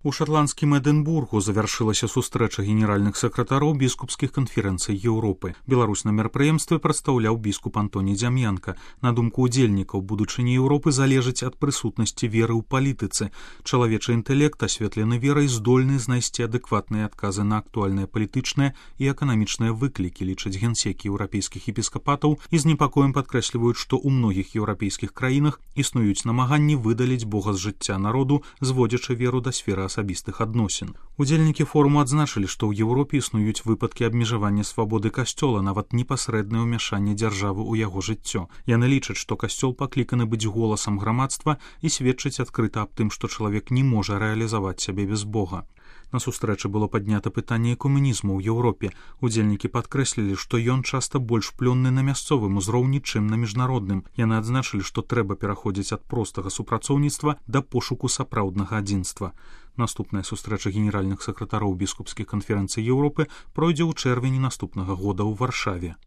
У шотландскім Эдинбургу завяршылася сустрэча генеральных сакратароў біскупскіх канферэнцый Еўропы. Беларусь на мерапрыемстве прадстаўляў біскуп Антоній Дзям'янка. На думку ўдзельнікаў, будучыня Еўропы залежыць ад прысутнасці веры ў палітыцы. Чалавечы інтэлект, асветлены верай, здольны знайсці адэкватныя адказы на актуальныя палітычныя і эканамічныя выклікі, лічаць генсекі еўрапейскіх епіскапатаў і з непакоем падкрэсліваюць, што ў многіх еўрапейскіх краінах існуюць намаганні выдаліць Бога з жыцця народу, зводзячы веру да сферы асабістых адносін. Удзельнікі форуму адзначылі, што ў Еўропе існуюць выпадкі абмежавання свабоды касцёла, нават непасрэднае ўмяшанне дзяржавы ў яго жыццё. Яны лічаць, што касцёл пакліканы быць голасам грамадства і сведчыць адкрыта аб тым, што чалавек не можа рэалізаваць сябе без Бога. На сустрэчы было паднята пытанне экуменізму ў Еўропе. Удзельнікі падкрэслілі, што ён часта больш плённы на мясцовым узроўні, чым на міжнародным. Яны адзначылі, што трэба пераходзіць ад простага супрацоўніцтва да пошуку сапраўднага адзінства. Наступная сустрэча генеральных сакратароў біскупскіх канферэнцый Еўропы пройдзе ў чэрвені наступнага года ў Варшаве.